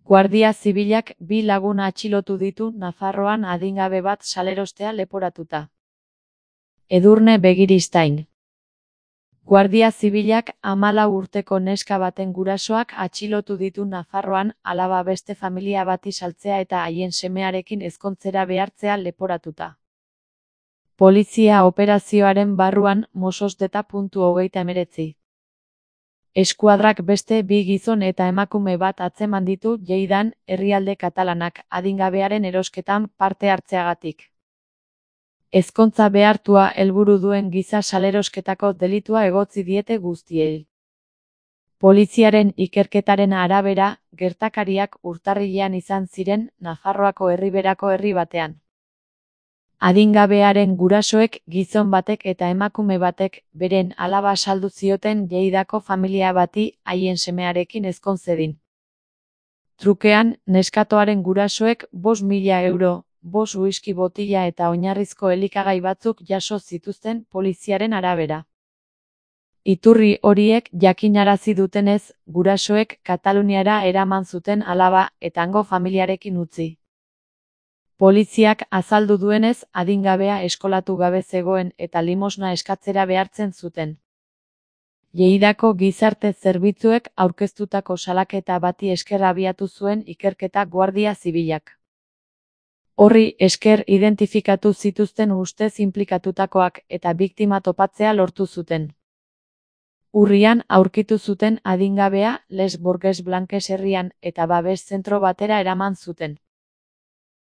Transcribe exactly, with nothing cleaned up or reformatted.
Guardia Zibilak bi lagun atxilotu ditu Nafarroan adingabe bat salerostea leporatuta. Edurne Begiristain. Guardia Zibilak hamalau urteko neska baten gurasoak atxilotu ditu Nafarroan alaba beste familia bati saltzea eta haien semearekin ezkontzera behartzea leporatuta. Polizia operazioaren barruan Mososdeta puntu hogeita hemeretzi. Eskuadrak beste bi gizon eta emakume bat atzeman ditu Lleidan, herrialde katalanak, adingabearen erosketan parte hartzeagatik. Ezkontza behartua helburu duen giza salerosketako delitua egotzi diete guztiei. Poliziaren ikerketaren arabera, gertakariak urtarrilean izan ziren Nafarroako Erriberako herri batean. Adingabearen gurasoek gizon batek eta emakume batek beren alaba saldu zioten Lleidako familia bati haien semearekin ezkon zedin. Trukean, neskatoaren gurasoek bost mila euro, bost whisky botila eta oinarrizko elikagai batzuk jaso zituzten poliziaren arabera. Iturri horiek jakinarazi dutenez, gurasoek Kataluniara eraman zuten alaba eta hango familiarekin utzi. Poliziak azaldu duenez, adingabea eskolatu gabe zegoen eta limosna eskatzera behartzen zuten. Lleidako gizarte zerbitzuek aurkeztutako salaketa bati esker abiatu zuen ikerketa Guardia Zibilak. Horri esker identifikatu zituzten ustez inplikatutakoak eta biktima topatzea lortu zuten. Urrian aurkitu zuten adingabea Les Borges Blanques herrian eta babes zentro batera eraman zuten.